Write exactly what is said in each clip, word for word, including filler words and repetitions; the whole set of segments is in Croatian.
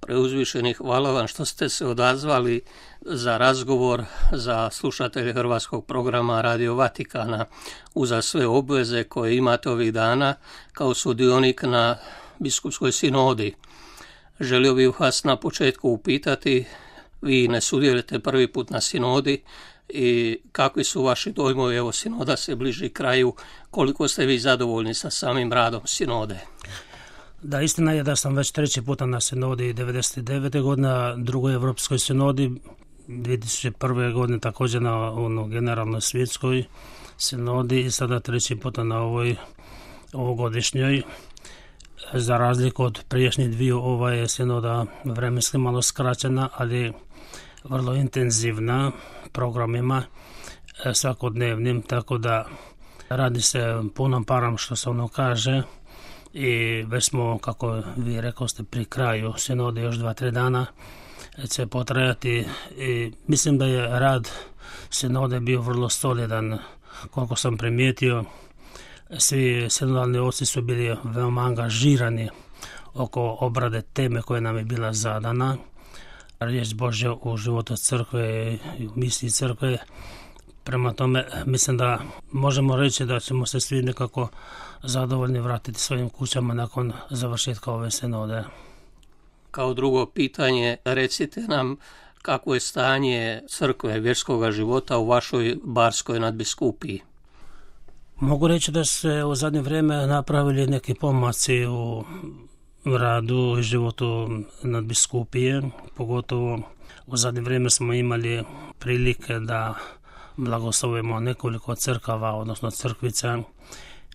Preuzvišeni, hvala vam što ste se odazvali za razgovor za slušatelje hrvatskog programa Radio Vatikana uza sve obveze koje imate ovih dana kao sudionik na biskupskoj sinodi. Želio bih vas na početku upitati, vi ne sudjelujete prvi put na sinodi i kakvi su vaši dojmovi, evo sinoda se bliži kraju, koliko ste vi zadovoljni sa samim radom sinode? Da, istina je da sam već treći puta na sinodi devedeset devete. godine, na drugoj Evropskoj sinodi, dvije tisuće prve. godine također na ono, generalnoj svjetskoj sinodi i sada treći puta na ovoj ovogodišnjoj. Za razliku od prijašnjih dviju, ova je sinoda vremenski malo skraćena, ali vrlo intenzivna programima svakodnevnim, tako da radi se punom parom, što se ono kaže, i već smo, kako vi rekao ste, pri kraju sinode, još dva, tri dana će potrajati i mislim da je rad sinode bio vrlo solidan. Koliko sam primijetio, svi sinodalni oci su bili veoma angažirani oko obrade teme koja nam je bila zadana. Riječ Božja u životu crkve i u misiji crkve. Prema tome, mislim da možemo reći da ćemo se svi nekako zadovoljni vratiti svojim kućama nakon završetka ove sinode. Kao drugo pitanje, recite nam kako je stanje crkve, vjerskog života u vašoj Barskoj nadbiskupiji? Mogu reći da se u zadnje vrijeme napravili neki pomaci u radu i životu nadbiskupije, pogotovo u zadnje vrijeme smo imali prilike da blagoslovimo nekoliko crkava, odnosno crkvica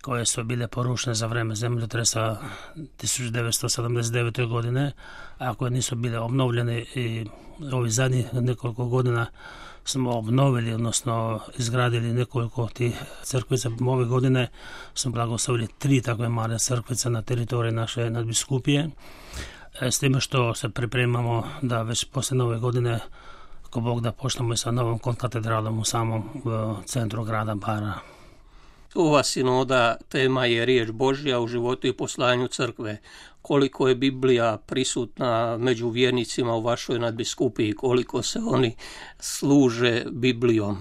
koje su bile porušene za vrijeme zemljotresa tisuću devetsto sedamdeset devete. godine, a koje nisu bile obnovljene, i ovih zadnjih nekoliko godina smo obnovili, odnosno izgradili nekoliko tih crkvica. Ove godine smo blagoslovili tri takve male crkvice na teritoriji naše nadbiskupije, s time što se pripremamo da već poslije nove godine, ako Bog da, počnemo i sa novom konkatedralom u samom centru grada Bara. Ova sinoda tema je riječ Božja u životu i poslanju crkve. Koliko je Biblija prisutna među vjernicima u vašoj nadbiskupiji, koliko se oni služe Biblijom?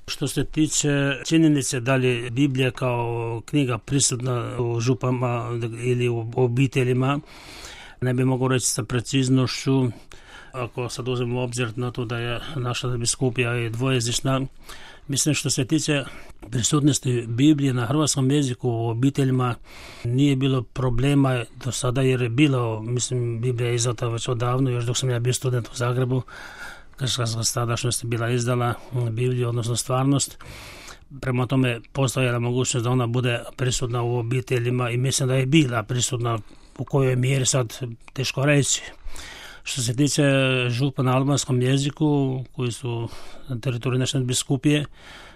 Što se tiče činjenice da li Biblija kao knjiga prisutna u župama ili u obiteljima, ne bi mogu reći sa preciznošću. Ako sad uzmemo u obzir na to da je naša nadbiskupija dvojezična, mislim što se tiče prisutnosti Biblije na hrvatskom jeziku u obiteljima nije bilo problema do sada, jer je bilo, mislim, Biblija je izdata već odavno, još dok sam ja bio student u Zagrebu, kršćanska stadašnost je bila izdala Bibliju, odnosno stvarnost. Prema tome postojala mogućnost da ona bude prisutna u obiteljima i mislim da je bila prisutna, u kojoj mjeri sad teško reći. Što se tiče župa na albanskom jeziku, koji su na teritoriju naše nadbiskupije,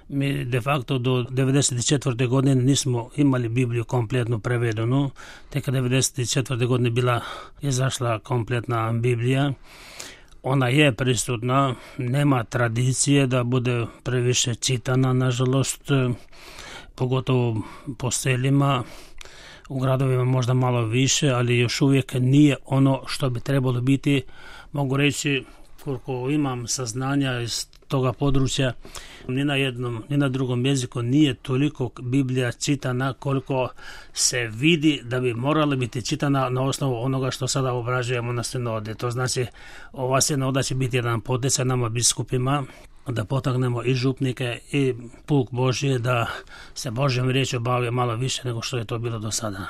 mi de facto do devedeset četvrte. godine nismo imali Bibliju kompletno prevedenu. Tek devedeset četvrte. godine bila izašla kompletna Biblija. Ona je prisutna, nema tradicije da bude previše čitana, nažalost, pogotovo po selima. U gradovima možda malo više, ali još uvijek nije ono što bi trebalo biti. Mogu reći, koliko imam saznanja iz toga područja, ni na jednom, ni na drugom jeziku nije toliko Biblija čitana koliko se vidi da bi morala biti čitana na osnovu onoga što sada obrađujemo na sinodi. To znači, ova sinoda će biti jedan poticaj nama biskupima da potaknemo i župnike i puk Božje da se Božjom riječju bave malo više nego što je to bilo do sada.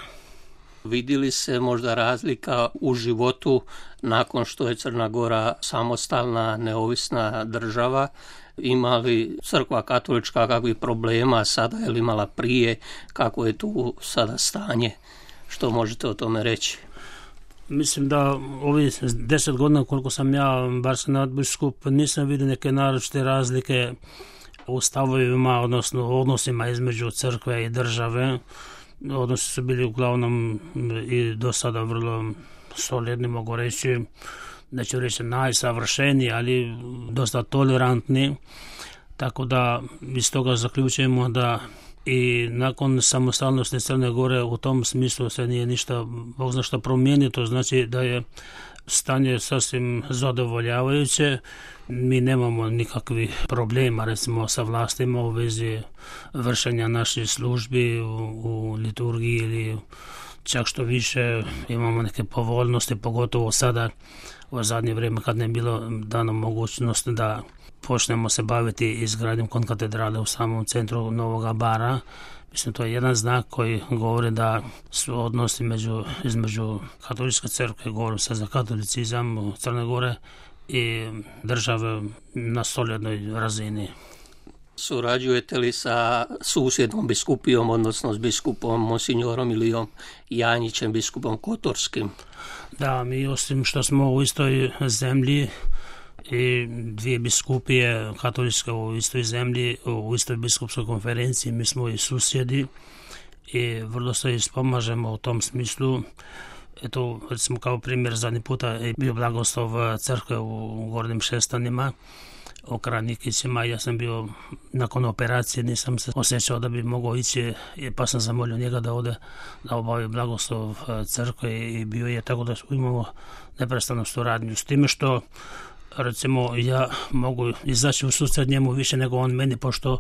Vidjeli se možda razlika u životu nakon što je Crna Gora samostalna, neovisna država? Ima li crkva katolička kakvih problema sada, je li imala prije, kako je tu sada stanje? Što možete o tome reći? Mislim da ovih deset godina koliko sam ja barski nadbiskup nisam vidio neke naročite razlike u stavovima, odnosno odnosima između crkve i države. Odnosi su bili uglavnom i do sada vrlo solidni, mogu reći, neću reći najsavršeniji, ali dosta tolerantni. Tako da iz toga zaključujemo da i nakon samostalnosti Crne Gore u tom smislu se nije ništa, Bog zna što promijenio. To znači da je stanje je sasvim zadovoljavajuće. Mi nemamo nikakvih problema recimo sa vlastima u vezi vršenja naših službi u, u liturgiji ili čak što više imamo neke povoljnosti, pogotovo sada u zadnje vrijeme kad ne je bilo dano mogućnost da počnemo se baviti izgradnjom konkatedrale u samom centru Novoga Bara. Mislim, to je jedan znak koji govori da su odnosi među, između katoličke crkve, govorim sad za katolicizam u Crne Gore, i države na solidnoj razini. Surađujete li sa susjednom biskupijom, odnosno s biskupom monsignorom Ilijom Janjićem, biskupom Kotorskim? Da, mi osim što smo u istoj zemlji i dvije biskupije katoličke u istoj zemlji, u istoj biskupskoj konferenciji, mi smo i susjedi i vrlo se ispomažemo u tom smislu. Eto, recimo kao primjer, zadnji puta je bio blagoslov crkve u Gornjim Šestanima, u Kranikićima. Ja sam bio nakon operacije, nisam se osjećao da bi mogao ići, pa sam zamolio njega da ode da obavi blagoslov crkve i bio je, tako da imamo neprestanu suradnju. S time što recimo ja mogu izaći u susret njemu više nego on meni, pošto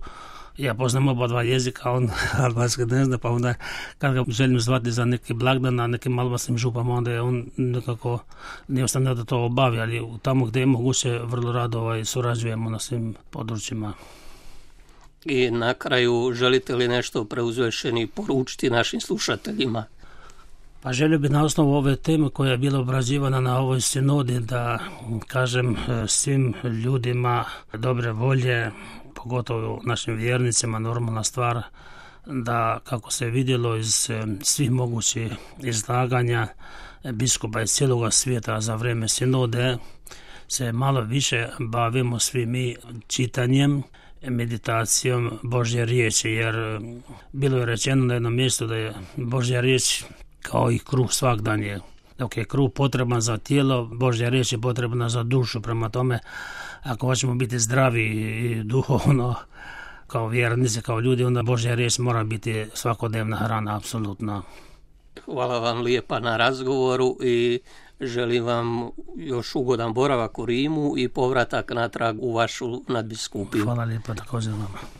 ja poznam oba dva jezika, on albanski ne zna, pa onda kad ga želim zvati za neki blagdan na nekim albanskim župama, onda je on nekako ne ostane da to obavi, ali tamo gdje je moguće vrlo rado ovaj, surađujemo na svim područjima. I na kraju, želite li nešto preuzvešeni poručiti našim slušateljima? Pa želio bih na osnovu ove teme koja je bila obrađivana na ovoj sinodi da kažem svim ljudima dobre volje, pogotovo našim vjernicima, normalna stvar da, kako se vidjelo iz svih mogućih izlaganja biskupa iz cijeloga svijeta za vrijeme sinode, se malo više bavimo svi mi čitanjem, meditacijom Božje riječi, jer bilo je rečeno na jednom mjestu da je Božja riječ kao i kruh svak dan je. Dok je kruh potreban za tijelo, Božja riječ je potrebna za dušu. Prema tome, ako hoćemo biti zdravi i duhovno kao vjernici, kao ljudi, onda Božja riječ mora biti svakodnevna hrana, apsolutno. Hvala vam lijepa na razgovoru i želim vam još ugodan boravak u Rimu i povratak natrag u vašu nadbiskupiju. Hvala lijepa, također vama.